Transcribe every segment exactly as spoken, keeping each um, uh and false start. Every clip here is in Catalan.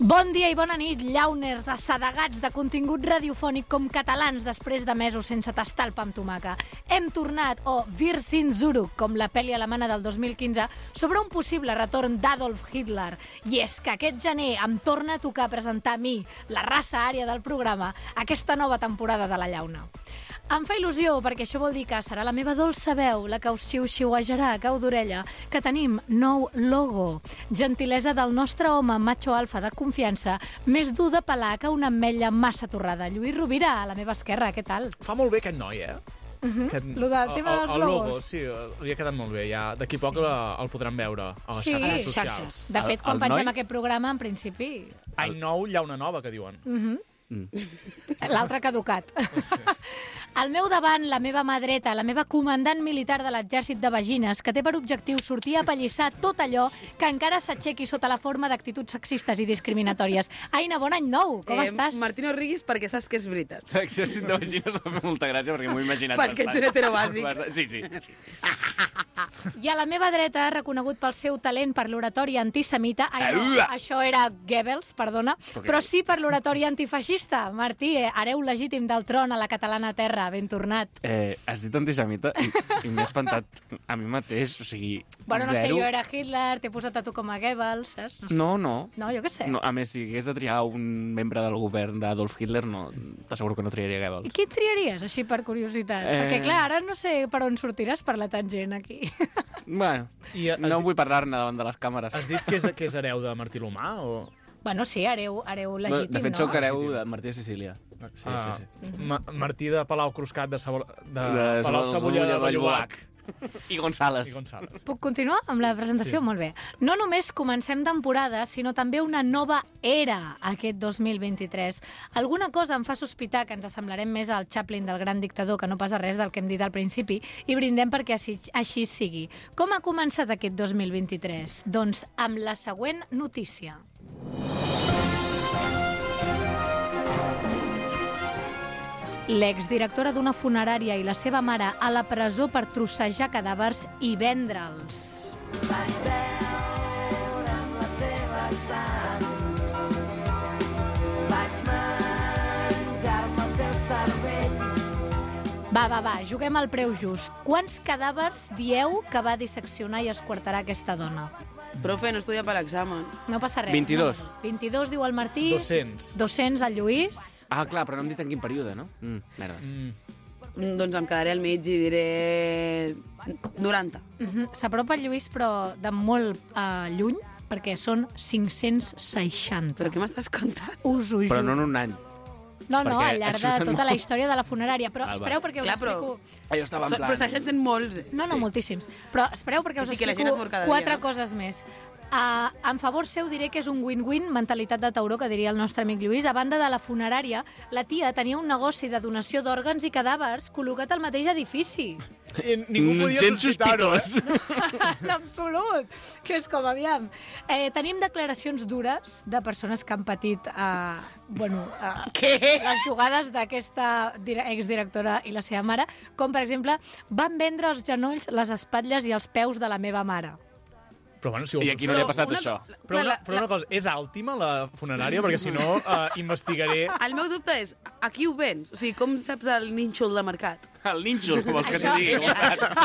Bon dia i bona nit, llauners assedegats de contingut radiofònic com catalans després de mesos sense tastar el pa amb tomaca. Hem tornat, o Wir sind zurück, com la pel·li alemana del dos mil quinze, sobre un possible retorn d'Adolf Hitler. I és que aquest gener em torna a tocar presentar a mi, la raça ària del programa, aquesta nova temporada de La Llauna. Em fa il·lusió, perquè això vol dir que serà la meva dolça veu, la que us xiu-xiuejarà a cau d'orella, que tenim nou logo. Gentilesa del nostre home macho alfa de confiança, més dur de pelar que una ametlla massa torrada. Lluís Rovira, a la meva esquerra, què tal? Fa molt bé aquest noi, eh? Uh-huh. Aquest... Lo del tema dels el, el logos. logo, sí, li ha quedat molt bé. Ja. D'aquí poc sí. el podran veure a les sí, xarxes socials. Xarxes. De fet, quan el pengem noi? aquest programa, en principi... Any nou, llauna nova, que diuen. Uh-huh. Mm. L'altre caducat. Sí. Al meu davant, la meva mà dreta, la meva comandant militar de l'exèrcit de vagines, que té per objectiu sortir a pallissar tot allò que encara s'aixequi sota la forma d'actituds sexistes i discriminatòries. Aina, bon any nou, com eh, estàs? Martino Riguis, perquè saps que és veritat. L'exèrcit de vagines m'ha fet molta gràcia perquè m'ho he imaginat Perquè ets un heterobàsic. Sí, sí. I a la meva dreta, reconegut pel seu talent per l'oratori antisemita... Ai, no, Aua! això era Goebbels, perdona, però sí per l'oratori antifeixista. Martí, eh, hereu legítim del tron a la catalana terra, ben tornat. Eh, has dit antisemita i, i m'he espantat a mi mateix, o sigui, Bueno, no sé, zero. jo era Hitler, t'he posat a tu com a Goebbels, saps? No, sé. No, no. No, jo què sé. No, a més, si hagués de triar un membre del govern d'Adolf Hitler, no, t'asseguro que no triaria I Goebbels. qui triaries, així per curiositat? Eh... Perquè, clar, ara no sé per on sortiràs per la tangent, aquí. Bueno, I has no dit- vull parlar-ne davant de les càmeres. Has dit que és, que és hereu de Martí L'Humà? O... Bueno, sí, hereu, hereu No, legítim, de fet, no? sóc hereu de Martí de Sicília. Sí, ah, sí, sí. Ma Martí de Palau Cruscat de, Sabor... de, De Palau Cebolla de Vallbolac. I González. I González. Puc continuar amb la presentació? Sí. Molt bé. No només comencem temporada, sinó també una nova era aquest dos mil vint-i-tres. Alguna cosa em fa sospitar que ens assemblarem més al Chaplin del gran dictador que no pas a res del que hem dit al principi i brindem perquè així, així sigui. Com ha començat aquest dos mil vint-i-tres? Doncs amb la següent notícia. L'exdirectora d'una funerària i la seva mare a la presó per trossejar cadàvers i vendre'ls. Vaig veure amb la seva sang, vaig menjar-me el seu cervell. Va, va, va, juguem al preu just. Quants cadàvers dieu que va disseccionar i esquartarà aquesta dona? Profe, no estudia per l'examen. No passa res. vint-i-dos. No, no. vint-i-dos, diu el Martí. dos-cents. dos-cents al Lluís. Ah, clar, però no hem dit en quin període, no? Mm, merda. Mm. Doncs em quedaré al mig i diré noranta. Uh-huh. S'apropa el Lluís, però de molt uh, lluny, perquè són cinc-cents seixanta. Però què m'estàs contant? Us ho Però juro. no en un any. No, no, perquè al llarg de surten tota la molt. història de la funerària. Però Ah, va. espereu perquè us Clar, però- explico... Ah, jo estava en So, plan... però segueixen sent molts. eh? No, no, Sí. moltíssims. Però espereu perquè us Sí, que la gent es explico mor cada quatre dia, no? coses més. Uh, en favor seu diré que és un win-win, mentalitat de tauró, que diria el nostre amic Lluís. A banda de la funerària, la tia tenia un negoci de donació d'òrgans i cadàvers col·locat al mateix edifici. I ningú podia Gens sospitar-ho, eh? sospitós. En absolut, que és com, aviam. Eh, tenim declaracions dures de persones que han patit eh, bueno, eh, Què? les jugades d'aquesta dire- exdirectora i la seva mare, com per exemple, van vendre els genolls, les espatlles i els peus de la meva mare. Però, bueno, si ho... I aquí no li ha Però passat una- això. Però, una, la- però una cosa, és àltima la funerària? Perquè si no, uh, investigaré... El meu dubte és, a qui ho vens? O sigui, com saps el nínxol de mercat? El nínxol, com vols que t'hi Això- digui, com saps?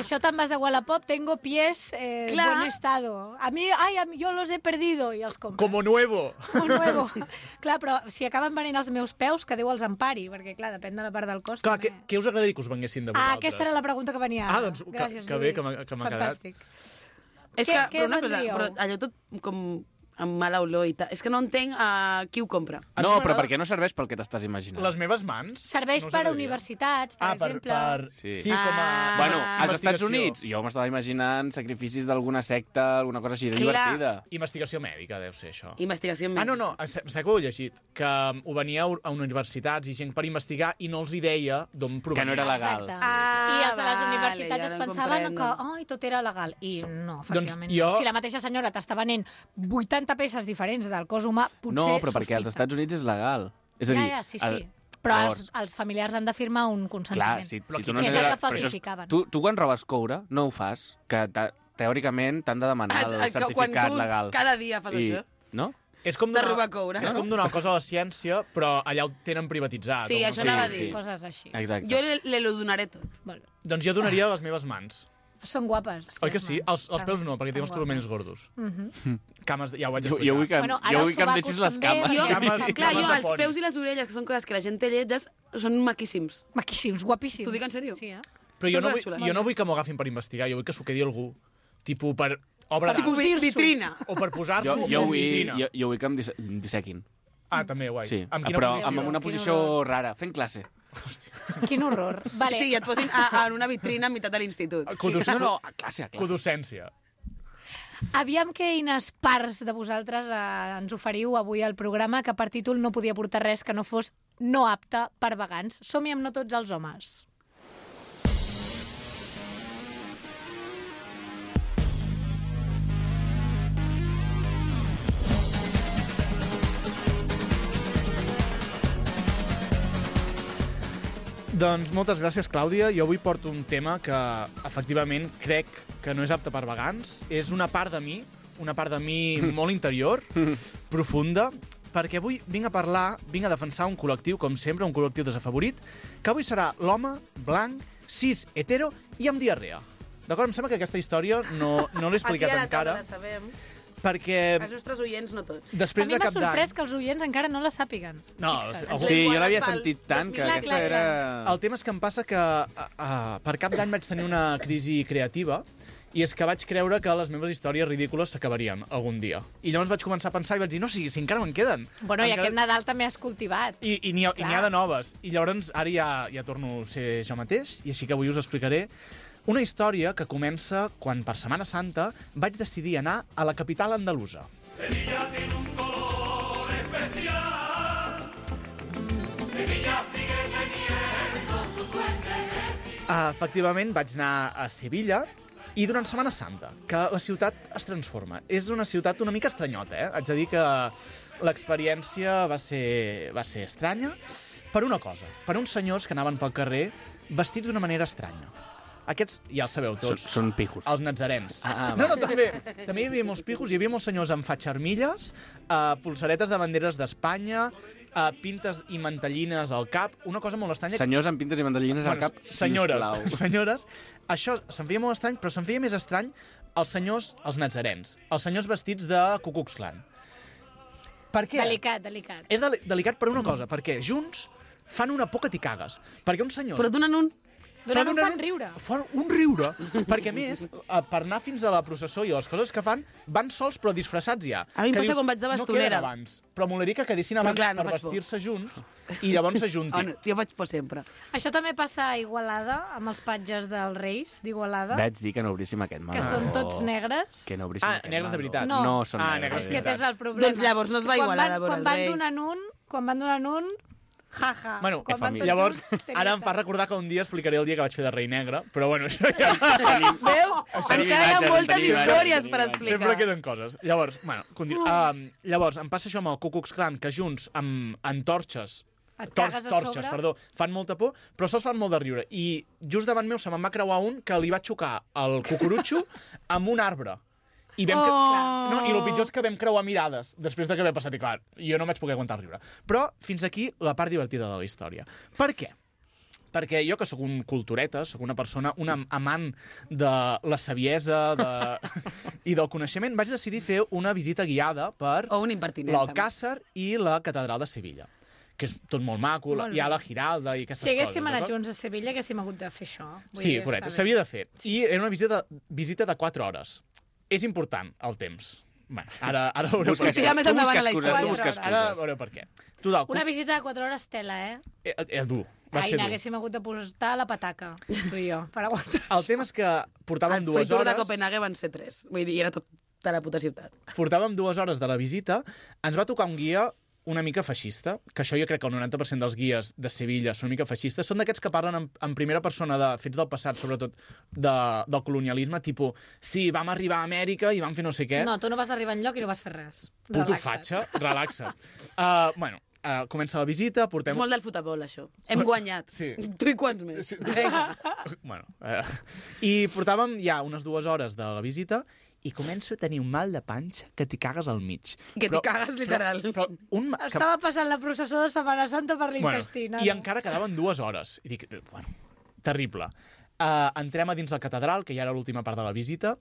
Això te'n vas a Wallapop, tengo pies eh, en Clar. buen estado. A mi, ay, a mi, yo los he perdido, i els compres. Como nuevo. Como nuevo. Clar, però si acaben venent els meus peus, que Déu els empari, perquè, clar, depèn de la part del cos. Clar, també. què, què us agradaria que us venguessin de Ah, vosaltres? aquesta era la pregunta que venia ara. Ah, doncs, que- Gràcies, que bé, Lluís. que m'ha- que m'ha quedat. Fantàstic. És Què- que, què però una cosa, vendríeu? però allò tot com amb mala olor i tal. És que no entenc a qui ho compra. No, però perquè no serveix pel que t'estàs imaginant. Les meves mans? Serveix no us per a agradaria? universitats, per ah, per, exemple. per... Sí. sí, com a... Ah. Bueno, Ah, als Estats investigació. Units, jo m'estava imaginant sacrificis d'alguna secta, alguna cosa així de Clar. divertida. Investigació mèdica, deu ser això. Investigació Ah, no, mèdica. no, sé sé que ho he llegit, que um, ho veníeu a universitats i gent per investigar i no els hi deia d'on provenia. Que no era legal. Exacte. Ah, I els de les vale, universitats ja es no pensaven comprendo. que ai, tot era legal. I no, efectivament. Doncs jo- no. Si la mateixa senyora t'està venent vuitanta peces diferents del cos humà, potser No, però perquè als sospita. Estats Units és legal. És a dir, Ja, ja, sí, sí. el- Però llavors, els, els familiars han de firmar un consentiment. Clar, si, Però si qui- tu no que és tens el la- que però això és- falsificaven. Tu, tu quan robes coure, no ho fas, que te, teòricament t'han de demanar el Ah, que certificat quan tu legal. cada dia fas I, això. no? És com de donar, robar coure. és com donar cosa a la ciència, però allà ho tenen privatitzat. Sí, o això no sé. anava a sí, dir. sí. Coses així. Exacte. Jo le, le lo donaré tot. Bueno, Doncs jo donaria les meves mans. són guapes. Oi que sí? Els, els Estan- peus no, perquè tinc els estan turmells guapes. gordos. Mhm. Cames, de- ja ho vaig Jo, explicar. jo vull que, Bueno, ara jo els vull que em sobacos deixis les també, cames. Jo, Cames- clar, cames jo, de els poni. peus i les orelles, que són coses que la gent té lletges, són maquíssims. Maquíssims, guapíssims. T'ho dic en sèrio? Sí, eh? Però jo no, Totes vull, xules. jo no vull que m'ho agafin per investigar, jo vull que s'ho quedi algú. Tipo per obra Per d'art. Tipo vi- Cosir-s'ho. vitrina. O per posar-s'ho Jo, jo, en vull, vitrina. jo, jo vull que em disse- em dissequin. Ah, també, guai. Sí, Amb quina però posició? amb una Quin posició horror. rara, fent classe. Quin horror. Vale. Sí, i et posin a, en una vitrina a meitat de l'institut. Codus- No, no, a classe, a classe. Codocència. Aviam quines parts de vosaltres eh, ens oferiu avui al programa, que per títol no podia portar res que no fos no apte per vegans. Som-hi amb no tots els homes. Doncs moltes gràcies, Clàudia. Jo avui porto un tema que, efectivament, crec que no és apte per vegans. És una part de mi, una part de mi molt interior, profunda, perquè avui vinc a parlar, vinc a defensar un col·lectiu, com sempre, un col·lectiu desafavorit, que avui serà l'home blanc, cis, hetero i amb diarrea. D'acord? Em sembla que aquesta història no, no l'he explicat Aquí a la encara, taula la sabem. perquè Els nostres oients no tots. després a mi de m'ha cap d'any... sorprès que els oients encara no la sàpiguen. No, Fixa't. algú- Sí, jo guardat l'havia pel sentit tant que dos mil. aquesta Clar, clar, era... El tema és que em passa que uh, uh, per cap d'any vaig tenir una crisi creativa i és que vaig creure que les meves històries ridícules s'acabarien algun dia. I llavors vaig començar a pensar i vaig dir, no, si, si encara me'n queden. Bueno, i encara... aquest Nadal també has cultivat. I, i n'hi ha, i n'hi ha Clar. de noves. I llavors ara ja, ja torno a ser jo mateix i així que avui us explicaré una història que comença quan per Setmana Santa vaig decidir anar a la capital andalusa. Sevilla tiene un color especial. Sevilla sigue teniendo su duende. Uh, efectivament, vaig anar a Sevilla i durant Setmana Santa, que la ciutat es transforma. És una ciutat una mica estranyota, eh? Haig de dir que l'experiència va ser, va ser estranya per una cosa, per uns senyors que anaven pel carrer vestits d'una manera estranya. Aquests ja els sabeu Són, tots. són pijos. Els natzarens. Ah, ah, no, no, també, també hi havia molts pijos, hi havia molts senyors amb fatxarmilles, uh, pulseretes de banderes d'Espanya, uh, pintes i mantellines al cap, una cosa molt estranya. Senyors amb pintes i mandolines al cap, senyores, sisplau. senyores, això se'n feia molt estrany, però se'n feia més estrany els senyors, els natzarens, els senyors vestits de Ku Klux Klan. Per què? Delicat, delicat. És deli delicat per una cosa, perquè junts fan una por que t'hi cagues. Perquè uns senyors... Però donen un... Durant un donen fan riure. Fan un riure, perquè a més, eh, per anar fins a la processó i les coses que fan, van sols però disfressats ja. A mi em Que passa quan vaig de No bastonera. queden abans, però molaria que quedessin Però abans clar, no per faig por. vestir-se junts i llavors Oh, s'ajuntin. no, jo faig por sempre. Això també passa a Igualada, amb els patges dels Reis d'Igualada, Vaig dir que no obríssim aquest meló. que són tots negres. Que no obríssim Ah, aquest negres de meló. veritat. No. No són Ah, negres. negres de Aquest veritat. és el problema. Doncs llavors no es va Quan Igualada van- a veure quan els van Reis. donant un, quan van donant un, jaja. Bueno, quan van tots llavors, junts, té ara em fa veritat. recordar que un dia explicaré el dia que vaig fer de rei negre, però bueno, això ja... Veus? Tenim Encara hi ha imatges, moltes tenim imatges, històries tenim per imatges. explicar. Sempre queden coses. Llavors, bueno, continu... uh, llavors, em passa això amb el Ku Klux Klan, que junts amb antorxes, Et tor cagues a torxes, sobre. perdó, fan molta por, però sols fan molt de riure. I just davant meu se me'n va creuar un que li va xocar el cucurutxo amb un arbre. I, vam cre- Oh. no, I el pitjor és que vam creuar mirades després de que havia passat. I clar, jo no vaig poder aguantar el riure. Però fins aquí la part divertida de la història. Per què? Perquè jo, que sóc un cultureta, sóc una persona, un am- amant de la saviesa de... i del coneixement, vaig decidir fer una visita guiada per O un impertinent. l'Alcàsser i la Catedral de Sevilla, que és tot molt maco, Molt hi ha bé. la Giralda i aquestes Si haguéssim coses. anat d'acord? junts a Sevilla, haguéssim hagut de fer això. Vull Sí, dir, correcte, està bé. s'havia de fer. I era una visita, visita de quatre hores. És important, el temps. Bueno, ara, ara veureu Busca per Sí, què. ja més tu endavant busca a la excuses, història. tu busca Ara Ara excuses. veureu per què. Total, Una visita de quatre hores tela, eh? eh, eh, dur. Va Ai, ser dur. n'haguéssim hagut de posar la pataca, tu i jo, per aguantar. El tema és que portàvem El dues free tour hores... de Copenhague van ser tres. Vull dir, era tot de la puta ciutat. Portàvem dues hores de la visita, ens va tocar un guia una mica feixista, que això jo crec que el noranta per cent dels guies de Sevilla són una mica feixistes, són d'aquests que parlen en, en primera persona de fets del passat, sobretot de, del colonialisme, tipus, sí, vam arribar a Amèrica i vam fer no sé què. No, tu no vas arribar enlloc i no vas fer res. Puto Relaxa't. fatxa, relaxa't. Uh, bueno, uh, comença la visita, portem... És molt del futbol, això. Hem guanyat. Sí. Tu i quants més? Sí. Bueno, uh, i portàvem ja unes dues hores de la visita i començo a tenir un mal de panxa que t'hi cagues al mig. Que t'hi cagues, literal. Però, però un, ma- que, Estava passant la processó de Setmana Santa per l'intestí. bueno, I encara quedaven dues hores. I dic, bueno, terrible. Uh, entrem a dins la catedral, que ja era l'última part de la visita,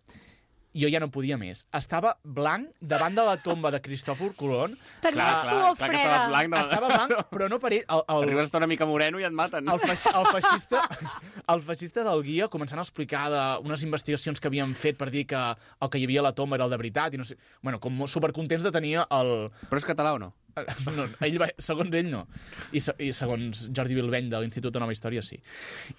jo ja no podia més. Estava blanc davant de la tomba de Cristòfor Colom. Tenia Clar, clar, suor clar que freda. estaves blanc. De... Estava blanc, però no per ell. El, el, Arribes a estar una mica moreno i et maten. el, feix, el, feixista, el feixista del guia començant a explicar de unes investigacions que havien fet per dir que el que hi havia a la tomba era el de veritat i no sé... Bueno, com supercontents de tenir el... Però és català o no? No, ell va, segons ell no. I, se, I segons Jordi Bilbeny de l'Institut de Nova Història sí.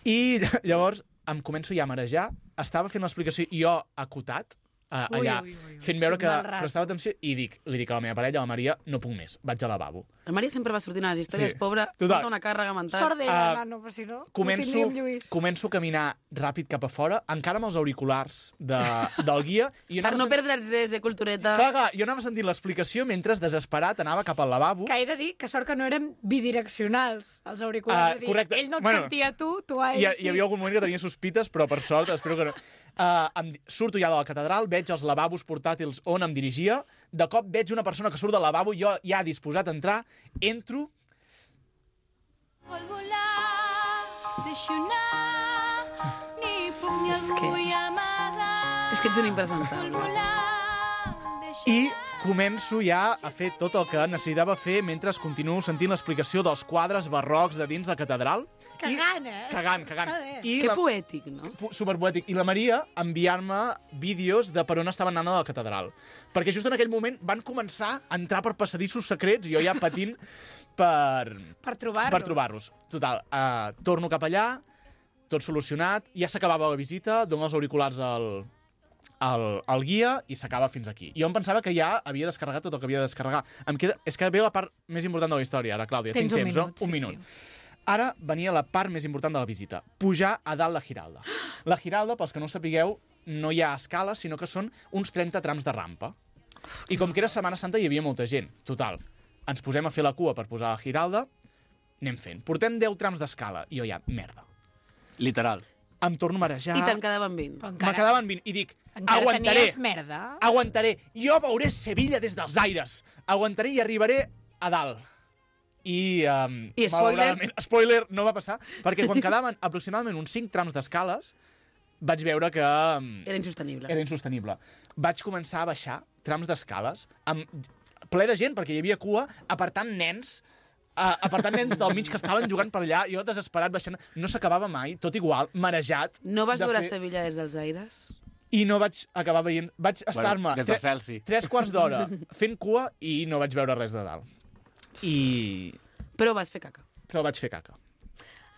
I llavors em començo ja a marejar. Estava fent l'explicació i jo acotat, Uh, allà, Ui, ui, ui, ui. fent veure que Mal rato. prestava atenció i dic, li dic a la meva parella, a la Maria, no puc més, vaig al lavabo. La Maria sempre va sortint a les històries, Sí. pobra, Total. porta una càrrega mental. Sort d'ella, Ah, nano, però si no, Començo, ho tindríem, Lluís. començo a caminar ràpid cap a fora, encara amb els auriculars de, del guia. I jo Per anava no sent- perdre el des de cultureta. Clar, clar, jo anava sentint l'explicació mentre, desesperat, anava cap al lavabo. Que he de dir que sort que no érem bidireccionals, els auriculars. Ah, És a dir, correcte. Ell no et Bueno, sentia a tu, tu a ell Hi, ha- sí. hi havia algun moment que tenia sospites, però per sort, espero que no. Uh, em, surto ja de la catedral, veig els lavabos portàtils on em dirigia, de cop veig una persona que surt del lavabo, jo ja disposat a entrar, entro, Vol volar, deixo anar, ni puc ni És el que- vull amagar. És que ets un Vol impresentable. volar, deixo i començo ja a fer tot el que necessitava fer mentre continuo sentint l'explicació dels quadres barrocs de dins la catedral. Cagant, eh? I, cagant, cagant. Està bé. I Que la, poètic, no? fu- superpoètic. I la Maria enviar-me vídeos de per on estaven anant a la catedral. Perquè just en aquell moment van començar a entrar per passadissos secrets i jo ja patint per, Per trobar-los. per trobar-los. Total, uh, torno cap allà, tot solucionat, ja s'acabava la visita, dono els auriculars al, al, al guia i s'acaba fins aquí. Jo em pensava que ja havia descarregat tot el que havia de descarregar. Em queda, és que ve la part més important de la història, ara, Clàudia. Tens Tinc un temps, minut, no? Un sí, minut. sí. Ara venia la part més important de la visita. Pujar a dalt la Giralda. La Giralda, pels que no ho sapigueu, no hi ha escales, sinó que són uns trenta trams de rampa. I com que era Setmana Santa hi havia molta gent. Total, ens posem a fer la cua per posar la Giralda, anem fent. Portem deu trams d'escala. I jo ja, merda. Literal. Em torno a marejar. I te'n quedaven vint. Però Me encara, quedaven vint. I dic, encara aguantaré. tenies merda. Aguantaré. Jo veuré Sevilla des dels aires. Aguantaré i arribaré a dalt. I, um, I spoiler? malauradament, spoiler, no va passar, perquè quan quedaven aproximadament uns cinc trams d'escales, vaig veure que um, Era insostenible. era insostenible. Vaig començar a baixar trams d'escales, amb ple de gent, perquè hi havia cua, apartant nens, uh, apartant nens del mig que estaven jugant per allà, jo desesperat baixant, no s'acabava mai, tot igual, marejat. No vas de veure fer- Sevilla des dels aires? I no vaig acabar veient... Vaig estar-me Bueno, des del tre- cel, sí. tres quarts d'hora fent cua i no vaig veure res de dalt. I... Però vas fer caca. Però vaig fer caca.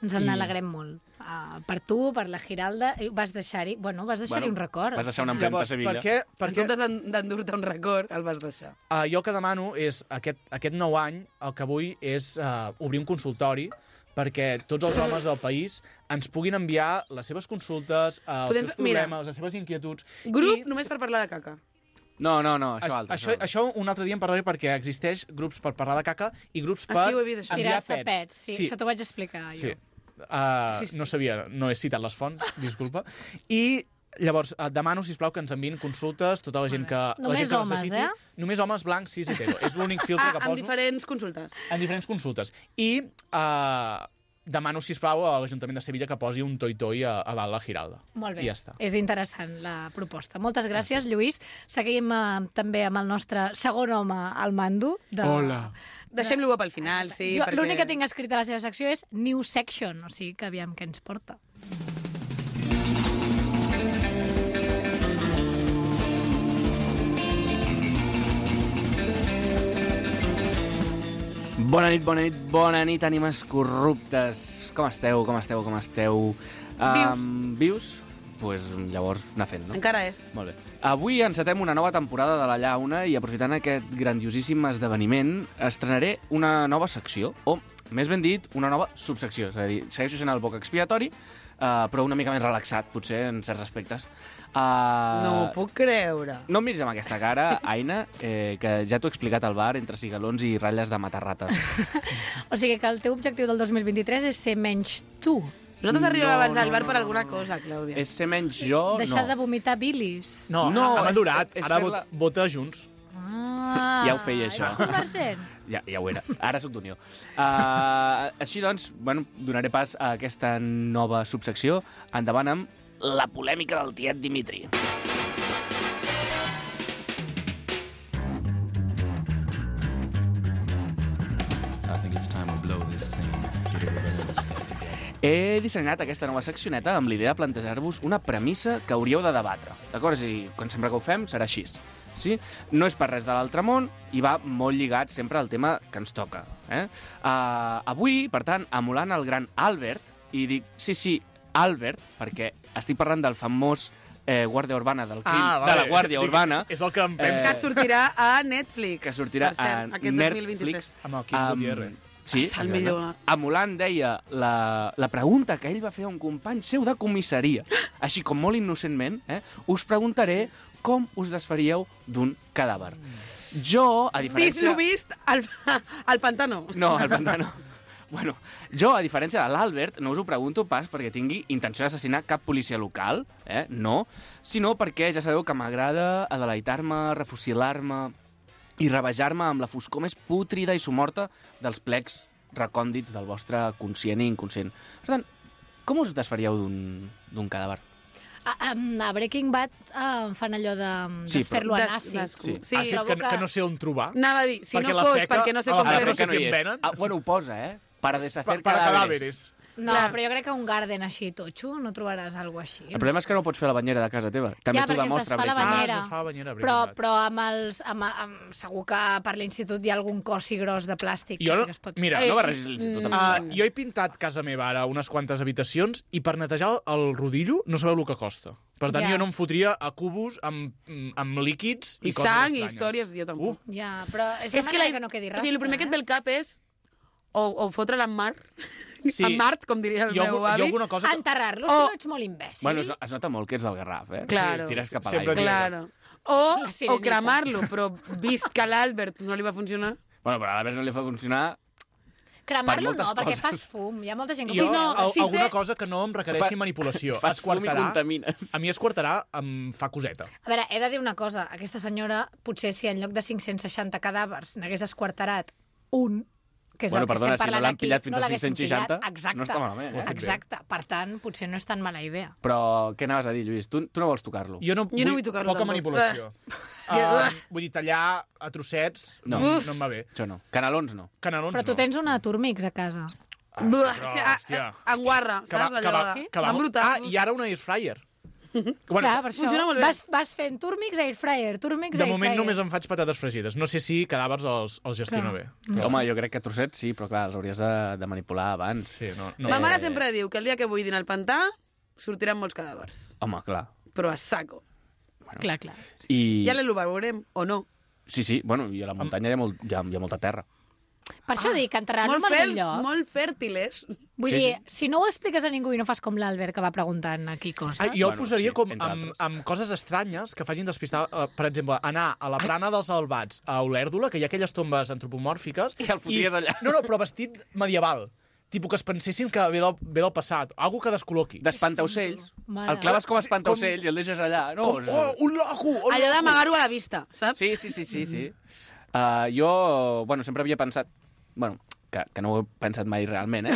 Ens en alegrem molt. Uh, per tu, per la Giralda, i vas deixar-hi... Bueno, vas deixar-hi Bueno, un record. vas deixar una al final. empremta a Sevilla. per què? En Perquè comptes d'en- d'endur-te un record, el vas deixar. uh, jo el que demano és, aquest, aquest nou any, el que vull és uh, obrir un consultori perquè tots els homes del país ens puguin enviar les seves consultes, uh, els Podem- seus mira. problemes, les seves inquietuds. Grup I només per parlar de caca. No, no, no, això Això, altre. això, això un altre dia en parlaré perquè existeix grups per parlar de caca i grups És per que ho he vist, això. enviar Tirar-se pets. pets, sí, sí. això t'ho vaig explicar Sí. jo. Uh, Sí, sí. No sabia, no he citat les fonts, disculpa. I llavors uh, demano, sisplau, que ens enviïn consultes, tota la gent que, la Només gent que homes, necessiti. eh? Només homes blancs, cis, hetero. És l'únic filtre Ah, que amb poso diferents consultes. en diferents consultes. I uh, demano, sisplau, a l'Ajuntament de Sevilla que posi un toi-toi a, a dalt la Giralda. Molt bé, I ja està. és interessant la proposta. Moltes gràcies, Lluís. Seguim eh, també amb el nostre segon home al mando. De... Hola. Deixem-lo pel final, sí, Jo, perquè... L'únic que tinc escrit a la seva secció és New Section, o sigui que aviam què ens porta. Bona nit, bona nit, bona nit, ànimes corruptes. Com esteu, com esteu, com esteu? Um, vius? Doncs pues, llavors anar fent, no? Encara és. Molt bé. Avui encetem una nova temporada de La Llauna i aprofitant aquest grandiosíssim esdeveniment estrenaré una nova secció, o més ben dit, una nova subsecció. És a dir, segueixo sent el boc expiatori, uh, però una mica més relaxat, potser, en certs aspectes. Uh, No ho puc creure. No em miris amb aquesta cara, Aina, eh, que ja t'ho he explicat al bar, entre cigalons i ratlles de matar rates. O sigui que el teu objectiu del dos mil vint-i-tres és ser menys tu. Nosaltres arribem No, abans no, al bar no, per no, alguna no. cosa, Clàudia. És ser menys jo, Deixar no. de vomitar bilis. No, No, ha és- madurat. és Ara fer-la- vot- vota junts. Ah, Ja ho feia, això. És convergent. Ja, ja ho era. Ara sóc d'Unió. Uh, així doncs, bueno, donaré pas a aquesta nova subsecció. Endavant amb la polèmica del tiet Dimitri. I think it's time to blow this scene. Get everybody in the step together. He dissenyat aquesta nova seccioneta amb l'idea de plantejar-vos una premissa que hauríeu de debatre. D'acord? I quan sempre que ho fem serà així. Sí? No és per res de l'altre món i va molt lligat sempre al tema que ens toca. Eh? Uh, avui, per tant, emulant el gran Albert, i dic, sí, sí, Albert, perquè estic parlant del famós eh, guàrdia urbana del crim, Ah, vale. de la guàrdia urbana, És el que em Eh, penso. Que sortirà a Netflix. que sortirà per cert, a aquest dos mil vint-i-tres. Netflix. Amb el Kim Amb- Gutiérrez. Sí, És el exacte. millor. Emulant, deia, la, la pregunta que ell va fer a un company seu de comissaria. Així com molt innocentment, eh, us preguntaré com us desfaríeu d'un cadàver. Jo, a Vist diferència... lo vist al, al pantano. No, al pantano. Bueno, jo, a diferència de l'Albert, no us ho pregunto pas perquè tingui intenció d'assassinar cap policia local, eh? No, sinó perquè ja sabeu que m'agrada adeleitar-me, refusilar-me i rebajar-me amb la foscor més pútrida i somorta dels plecs recòndits del vostre conscient i inconscient. Per tant, com us desfaríeu d'un d'un cadàver? A, a Breaking Bad uh, fan allò de Sí, desfer-lo Des- en àcid. des- Sí. sí. Ah, sí, trobo que, que- que no sé on trobar. Anava a dir, si Perquè no la fos feca- perquè no sé a com la A la feca fer-ho. no sé si en venen. Ah, bueno, ho posa, eh? Para deshacer Per- per cadáveres. cadàveres. No, Clar. però jo crec que un garden així totxo no trobaràs alguna així. El problema és que no pots fer la banyera de casa teva. També Ja, t'ho perquè es demostra desfà la Breaking Bad. banyera. Ah, es desfà la banyera, Breaking però, Bad. però amb els, amb, amb, segur que per l'institut hi ha algun cossi gros de plàstic Jo que no- sí que es pot mira, fer. No barregis l'institut amb Uh, això. jo he pintat casa meva ara unes quantes habitacions i per netejar el rodillo no sabeu el que costa. Per tant, Ja. jo no em fotria a cubos amb, amb líquids i, I coses sang i estranyes. històries, jo tampoc. Uh. Ja, però és, És la que, manera la, que no quedi o rastre. sigui, el primer que et ve eh? al cap és o, o fotre-la en mar, Sí. en Mart, com diria el Hi ha, meu algun- hi ha avi. alguna cosa que... Enterrar-lo, Oh. si no ets molt imbècil. Bueno, es, es nota molt que ets del Garraf, eh? Claro. Si tires cap a Sempre l'aigua. dic- Claro. O, La o sirenita. cremar-lo, però vist que a l'Albert no li va funcionar... Bueno, però a l'Albert no li fa funcionar... Cremar-lo per moltes no, perquè coses. fas fum. Hi ha molta gent que Jo, ho no, veu. al- si alguna té- cosa que no em requereixi Fa- manipulació. Fas fum i Esquartarà. contamines. A mi esquartarà em fa coseta. A veure, he de dir una cosa. Aquesta senyora, potser si en lloc de cinc-cents seixanta cadàvers n'hagués esquartarat un, que és Bueno, el que perdona, estem si no parlant l'han aquí, pillat fins no a l'haguessin cinc-cents seixanta, pillat. Exacte, no està malament, eh? Ho ha fet bé. Exacte. Per tant, potser no és tan mala idea. Però què anaves a dir, Lluís? Tu, tu no vols tocar-lo? Jo no, Jo no vull tocar-lo Poca tampoc. manipulació. que- Uh, vull dir, tallar a trossets No. no, Uf. no em va bé. Això no. Canelons no. Canelons Però tu no. tens una Turmix a casa. Ah, Buah, sí, és però, que, ah, hòstia. ah, en guarra, Que va, saps? que Allò va, de... que va, Van brutal. Ah, i ara un air fryer. Bueno, Clar, per això. funciona molt bé. Vas, vas fent Turmix, Air Fryer, Turmix, de Air moment Fryer. només em faig patates fregides. No sé si cadàvers els, els gestiono Clar. bé. Home, jo crec que trossets sí, però clar, els hauries de, de manipular abans. Sí, no, no. Ma mare Eh. sempre diu que el dia que buidin el pantà sortiran molts cadàvers, Home, clar. però a saco. Clar, clar. I... Ja l'ho veurem, o no. Sí, sí, bueno, i a la muntanya hi ha, molt, hi ha, hi ha molta terra. Per això dic, enterrar-lo en Molt, algun fel, lloc. molt fèrtiles. Vull Sí, dir, sí. si no ho expliques a ningú i no fas com l'Albert que va preguntant aquí coses... Ah, jo Bueno, el posaria sí, com entre amb, altres. amb coses estranyes que facin despistar, uh, per exemple, anar a la plana dels Albats a Olèrdola, que hi ha aquelles tombes antropomòrfiques... I el fotries allà. No, no, però vestit medieval. Tipus que es pensessin que ve del, ve del passat. Algo que descol·loqui. D'espantaocells. Mare. El claves com a espantaocells i el deixes allà. No, Com, oh, un loco! Un Allò d'amagar-ho a la vista, saps? Sí, sí, sí, sí, sí. Uh, jo, bueno, sempre havia pensat... Bueno, que, que no ho he pensat mai realment, eh?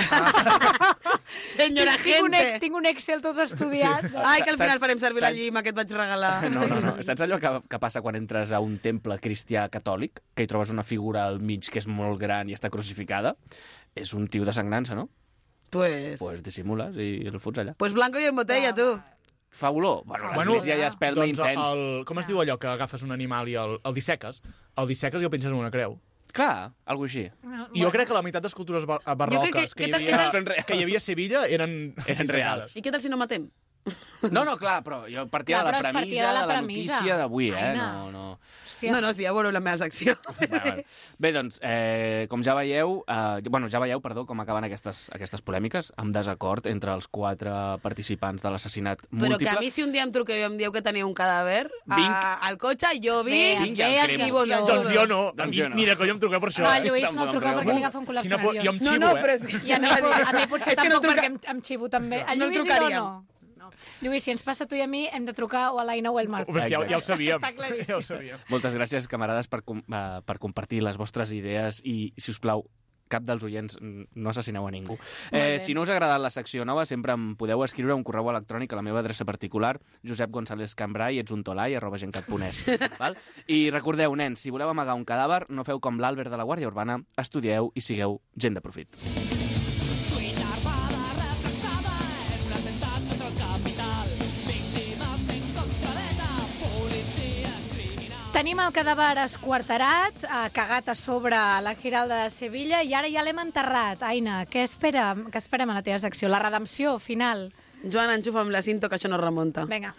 Senyora tinc, un, gente. tinc un Excel tot estudiat. Sí. Ai, que al final Saps- farem servir la saps- llima que et vaig regalar. No, no, no. Saps allò que, que passa quan entres a un temple cristià catòlic, que hi trobes una figura al mig que és molt gran i està crucificada? És un tio de sagnança, no? Pues... Pues dissimules i el fots allà. Pues blanco i en botella, tu. Fa olor. Bueno, Bueno, l'església ja es pelma doncs incens. el, com es diu allò que agafes un animal i el, el disseques? El disseques i el penses en una creu. Clar, alguna així. I jo crec que la meitat d'escultures bar barroques que- que, que hi tal- havia, que tal- que hi havia a Sevilla eren, Eren reals. I què tal si no matem? No, no, clar, però jo partia Clar, de la però es partia premissa de la de la premissa. notícia d'avui, eh? Aina. No, no... Hòstia. No, no, sí, ja veureu la meva secció. Vale, vale. Bé, doncs, eh, com ja veieu, eh, bueno, ja veieu, perdó, com acaben aquestes, aquestes polèmiques, amb desacord entre els quatre participants de l'assassinat Però múltiple. que a mi si un dia em truqueu i em dieu que teniu un cadàver Vinc. a, al cotxe, jo Es ve, vinc, es Vinc i ve, els es cremes. i vos gestiona. ajudo. Doncs jo no. A Doncs mi, jo no. mira, que jo em truqueu per això. No, eh? el Lluís Tampoc no el em truqueu treu. perquè li agafa un cul·lapse Quina por- nerviós. jo em No, xivo, no, eh? però és que... I a mi, a mi potser És que no tampoc, truca- perquè em, em xivo també. El No Lluís i jo trucaríem. no. no. Lluís, si ens passa a tu i a mi, hem de trucar o a l'Aina o al Marc. Pues ja, ja ho sabíem. Està claríssim. Ja ho sabíem. Moltes gràcies, camarades, per, com, eh, per compartir les vostres idees i, si us plau, cap dels oients mm, no assassineu a ningú. bé. Eh, si no us ha agradat la secció nova, sempre em podeu escriure un correu electrònic a la meva adreça particular, josep gonzález cambrai, ets un tolai, arroba gencat punt es. Val? I recordeu, nens, si voleu amagar un cadàver, no feu com l'Àlbert de la Guàrdia Urbana, estudieu i sigueu gent de profit. Tenim el cadàver esquarterat, eh, cagat a sobre la Giralda de Sevilla, i ara ja l'hem enterrat. Aina, què, espera, què esperem a la teva secció? La redempció final. Joan, enxufa amb la cinto, que això no remunta. Vinga.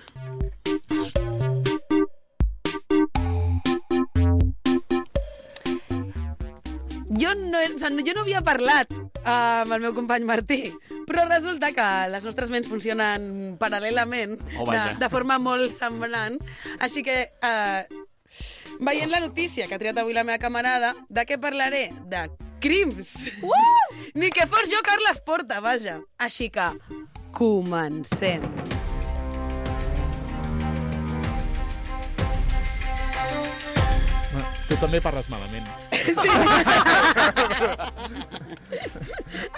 Jo no, o sigui, jo no havia parlat uh, amb el meu company Martí, però resulta que les nostres ments funcionen paral·lelament, Oh, de, vaja. de forma molt semblant. Així que, uh, veient la notícia que ha triat avui la meva camarada, de què parlaré? De crims. Uh! Ni que fos jo Carles Porta, vaja. Així que, comencem. Tu també parles malament.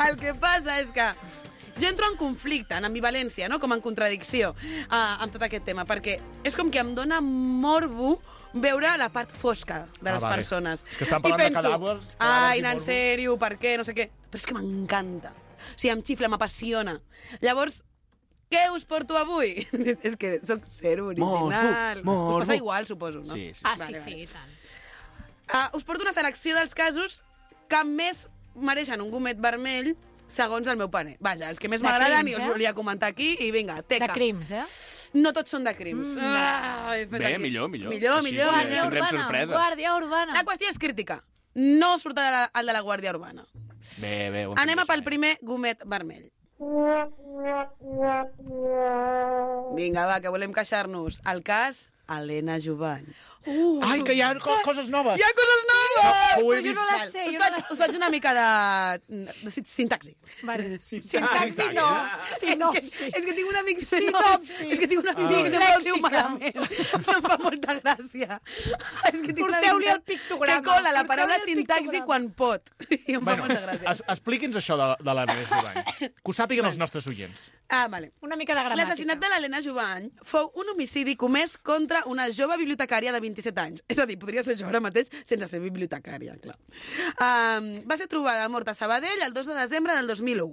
El que passa és que jo entro en conflicte, en ambivalència, no? Com en contradicció uh, amb tot aquest tema, perquè és com que em dóna morbo veure la part fosca de Ah, les vale. persones. És que estan I parlant de penso, cadàvers, cadàvers ai, i en morbo." sèrio, per què, no sé què. Però és que m'encanta. O sigui, em xifla, m'apassiona. Llavors, què us porto avui? És que sóc zero original. Morbo, Us passa morbo. igual, suposo, no? Sí, sí. Ah, Vale, sí, vale. sí, i tant. Uh, us porto una selecció dels casos que més mereixen un gomet vermell segons el meu parer. Vaja, els que més De m'agraden crims, i us eh? volia comentar aquí i vinga, teca. De crims, eh? No tots són de crims. Mm. Ah, he fet Bé, aquí. millor, millor. Millor, Així millor. sí, Guàrdia tindrem Urbana, sorpresa. Guàrdia Urbana. La qüestió és crítica. No surt el de la, el de la Guàrdia Urbana. Bé, bé. ho hem Anem fet a pel bé. primer gomet vermell. Vinga, va, que volem queixar-nos. El cas Helena Jovany. Uh, Ai, que hi ha co coses noves. Hi ha coses noves! ho he però jo vist. no la Val, sé, us, jo no faig, la sé. us faig una mica de, de sin- sintaxi. Vale. Sintaxi. Sintaxi no. Sinopsi. És que, és que tinc un amic Sinopsi. És que tinc un amic Ah, que sempre ho diu Dislèxica. malament. Em fa molta gràcia. És que tinc un Porteu-li amic el pictograma. que cola la Porteu-li paraula el sintaxi pictograma. quan pot. I em fa Bueno, molta gràcia. es, expliqui'ns això de, de l'Helena Jovany. Que ho sàpiguen els nostres oients. Ah, vale. Una mica de gramàtica. L'assassinat de l'Helena Jovany fou un homicidi comès contra una jove bibliotecària de vint-i-set anys. És a dir, podria ser jo ara mateix sense ser bibliotecària, clar. Um, va ser trobada morta a Sabadell el dos de desembre del dos mil u.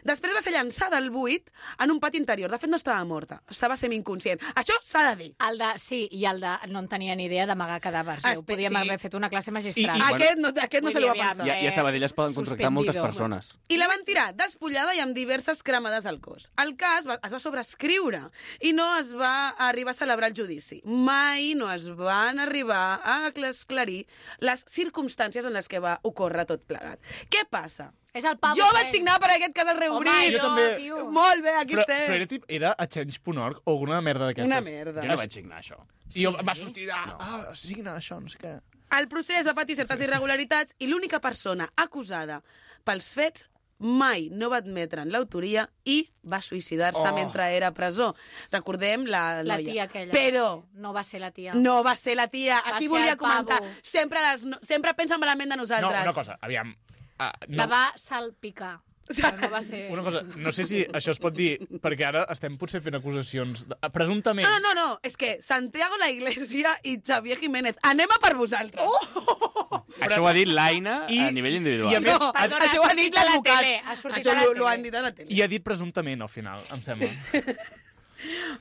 Després va ser llançada al buit en un pati interior. De fet, no estava morta, estava semi-inconscient. Això s'ha de dir. El de, sí, i el de... No en tenien ni idea d'amagar cadàvers. Eh? Ho Espe- podíem sí. haver fet una classe magistral. I- i- Aquest no, aquest no Vull se li va dir, aviam, pensar. I, a- I a Sabadell es poden contractar moltes Suspendido. persones. I la van tirar despullada i amb diverses cremades al cos. El cas va, es va sobreescriure i no es va arribar a celebrar el judici. Mai no es van arribar a esclarir les circumstàncies en les que va ocórrer tot plegat. Què passa? És el Pablo Jo vaig Fent. signar per aquest cas al Home, reobrir. Jo jo, també. tio. Molt bé, aquí Però, però estem. era, tip, era a change punt org o alguna merda d'aquestes. Una merda. Jo no vaig signar això. I jo, va sortir, ah, ah, signa això, no sé què. El procés va patir certes irregularitats i l'única persona acusada pels fets mai no va admetre en l'autoria i va suïcidar-se Oh. mentre era a presó. Recordem la La noia. tia aquella. Però No va ser la tia. no va ser la tia. Va Aquí ser volia el pavo. comentar. Sempre, les, no, sempre pensen malament de No, nosaltres. una cosa, aviam. Uh, La no, va salpicar. Però no va ser... una cosa, no sé si això es pot dir, perquè ara estem potser fent acusacions, de, presumptament. No, no, no, és que Santiago la Iglesia i Xavier Jiménez, anem a per vosaltres. Oh! Això ho ha dit l'Aina I- a nivell individual. i a més- No, Perdona, això ha ho ha sortit dit a la l'advocat. tele, ha sortit Això a la lo, lo tele. han dit a la tele. I ha dit presumptament, al final, em sembla.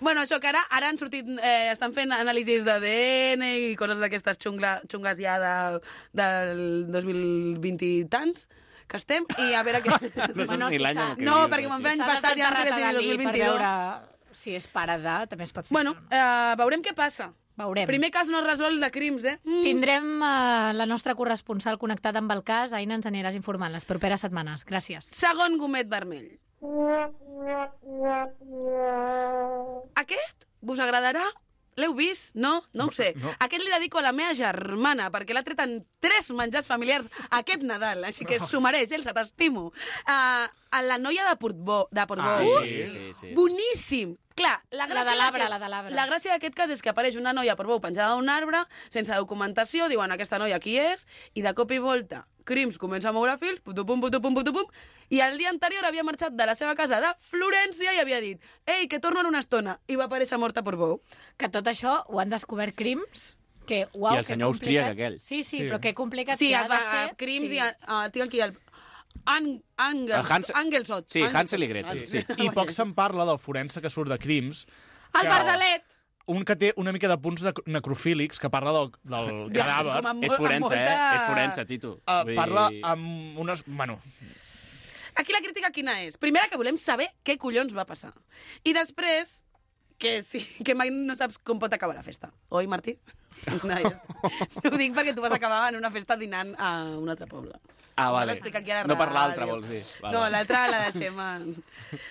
Bueno, això que ara, ara han sortit, eh, estan fent anàlisis d'A D N i coses d'aquestes xungla, xungues ja del, del dos mil vint i tants, que estem, i a veure què... No saps ni l'any en què No, vius, perquè eh? me'n ve any S'ha passat, ja no sé desenterrat què si a dos Dalí mil per vint-i-dos. veure si és pare de, també es pot fer Bueno, això, no? eh, veurem què passa. Veurem. Primer cas no resolt de crims, eh? Mm. Tindrem uh, la nostra corresponsal connectada amb el cas. Aina, ens aniràs informant les properes setmanes. Gràcies. Segon gomet vermell. Aquest vos agradarà? L'heu vist? No? No ho sé. No. Aquest li dedico a la meva germana, perquè l'ha tret en tres menjars familiars aquest Nadal, així que s'ho mereix, Elsa, t'estimo. Uh, la noia de Portbou. De Portbou. Ah, sí, sí, sí. Boníssim! Clar, la gràcia de l'arbre, d'aquest- la de l'arbre. La gràcia d'aquest cas és que apareix una noia a Portbou penjada d'un arbre, sense documentació, diuen aquesta noia qui és, i de cop i volta Crims comença a moure fils, putupum, putupum, putupum, i el dia anterior havia marxat de la seva casa de Florència i havia dit «Ei, que torno en una estona», i va aparèixer morta a Portbou. Que tot això ho han descobert Crims, que, uau, I el que senyor complicat. austríac aquell. Sí, sí, Sí. però que complicat Sí, que ha es de va, ser. a Crims sí. i a, a, tinc aquí el... An, Angels, El Hans- Angelsot. Sí, Hansel i Gretel, sí. I poc se'n parla del forense que surt de Crims. El que- Bardalet! Un que té una mica de punts nec- necrofílics, que parla del, del Ja, cadàver. som amb- És forense, molta- eh? És forense, Tito. Uh, Vull parla dir- amb unes... Bueno, Aquí la crítica quina és? Primera, que volem saber què collons va passar. I després, que sí, que mai no saps com pot acabar la festa. Oi, Martí? No, ja està. Ho dic perquè tu vas acabar en una festa dinant a un altre poble. Ah, Ho vale. vas explicar aquí a la No per ràdio. l'altre, vols dir. Vale, No, vale. l'altra la deixem a...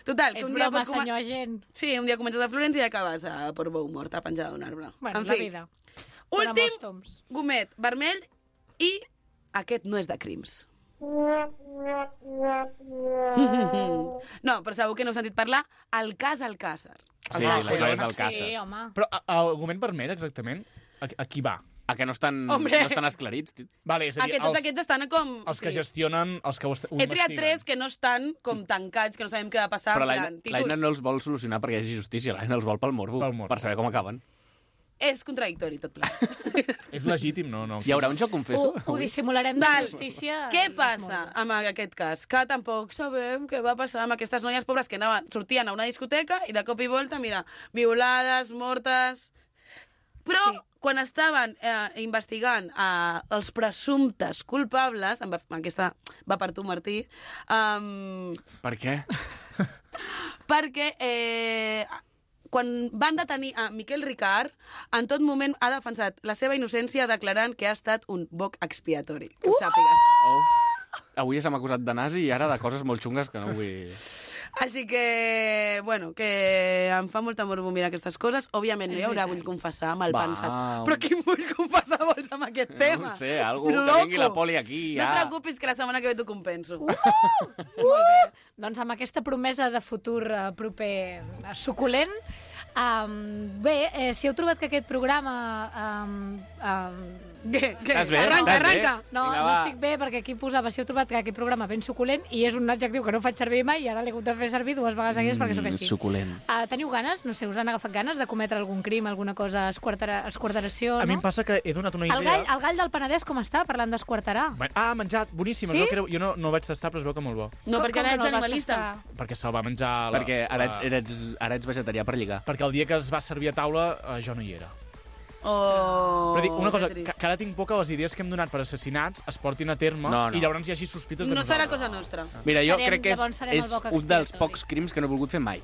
Total, que És un dia broma, pot coma- senyor agent. Sí, un dia comences a Florència i acabes a Portbou morta, penjada d'un arbre. Bueno, en la fi, vida. Per a molts últim toms. gomet vermell i aquest no és de crims. No, però segur que no heu sentit parlar el cas Alcàsser. Sí, Ah, les noies del Sí, Càcer. home. però a- el argument vermell, exactament, a, a qui va? A que no estan, Hombre. no estan esclarits, Tito. Vale, és a dir, Aquest, tots els, aquests estan com... els que sí. gestionen, els que ho, est- ho He triat investiguen. tres que no estan com tancats, que no sabem què va passar. Però en l'Aina plan, l'Aina Titus, no els vol solucionar perquè hi hagi justícia, l'Aina els vol pel morbo, Pel morbo. per saber com acaben. És contradictori tot ple. És legítim, no? no. Hi haurà un joc, confesso? Ho, ho dissimularem de Val. justícia. Què i passa es amb aquest cas? Que tampoc sabem què va passar amb aquestes noies pobres que anaven, sortien a una discoteca i de cop i volta, mira, violades, mortes... Però Sí. quan estaven eh, investigant eh, els presumptes culpables, amb, aquesta va per tu, Martí, um, Per què? perquè eh, quan van detenir a Miquel Ricard, en tot moment ha defensat la seva innocència declarant que ha estat un boc expiatori. Que ho sàpigues. Oh. Avui se m'ha acusat de nazi i ara de coses molt xungues que no vull... Així que, bueno, que em fa molta morbo mirar aquestes coses. Òbviament no hi És haurà, veritat. vull confessar, mal Va, pensat. un- Però qui vull confessar vols amb aquest tema? No ho sé, algú que Loco. vingui la poli aquí, No ja. et preocupis, que la setmana que ve t'ho compenso. Molt bé. Doncs amb aquesta promesa de futur eh, proper eh, suculent, um, bé, eh, si heu trobat que aquest programa... Um, um, Què? Què? Estàs bé? Arranca, Estàs bé? arranca. no, Vinga, no va. estic bé perquè aquí posava si heu trobat que aquest programa ben suculent i és un adjectiu que no faig servir mai i ara l'he hagut de fer servir dues vegades seguides perquè sóc així. Suculent. Uh, teniu ganes? No sé, us han agafat ganes de cometre algun crim, alguna cosa, esquartera, esquarteració, A mi no? em passa que he donat una El idea... gall, el gall del Penedès com està, parlant d'esquarterar? Ah, menjat, boníssim. Sí? Es veu que era... Jo no, no ho vaig tastar, però es veu que molt bo. No, perquè ara que ets el vas animalista. tastar? Perquè se'l va menjar... La, Perquè ara ets, la- ara, ets, ara ets vegetarià per lligar. Perquè el dia que es va servir a taula, eh, jo no hi era. Oh, Però dic, una cosa, que que, trist. que ara tinc por que les idees que hem donat per assassinats es portin a terme No, no. i llavors hi hagi sospites de No serà nosaltres. cosa nostra. Mira, jo Serem- crec que és, llavors serem el és boc un dels expiatori. pocs crims que no he volgut fer mai.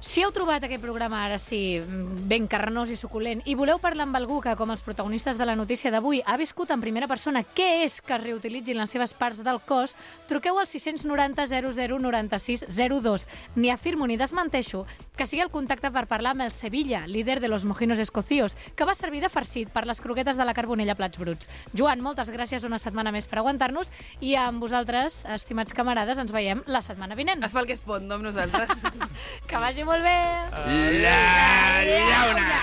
Si heu trobat aquest programa, ara sí, ben carnós i suculent, i voleu parlar amb algú que, com els protagonistes de la notícia d'avui, ha viscut en primera persona què és que es reutilitzin les seves parts del cos, truqueu al sis nou zero zero zero nou sis zero dos. Ni afirmo ni desmenteixo que sigui el contacte per parlar amb el Sevilla, líder de los mojinos escocíos, que va servir de farcit per les croquetes de la Carbonella Plats Bruts. Joan, moltes gràcies una setmana més per aguantar-nos i amb vosaltres, estimats camarades, ens veiem la setmana vinent. Es fa el que es pot, no amb nosaltres. Que vagi molt bé! La llauna!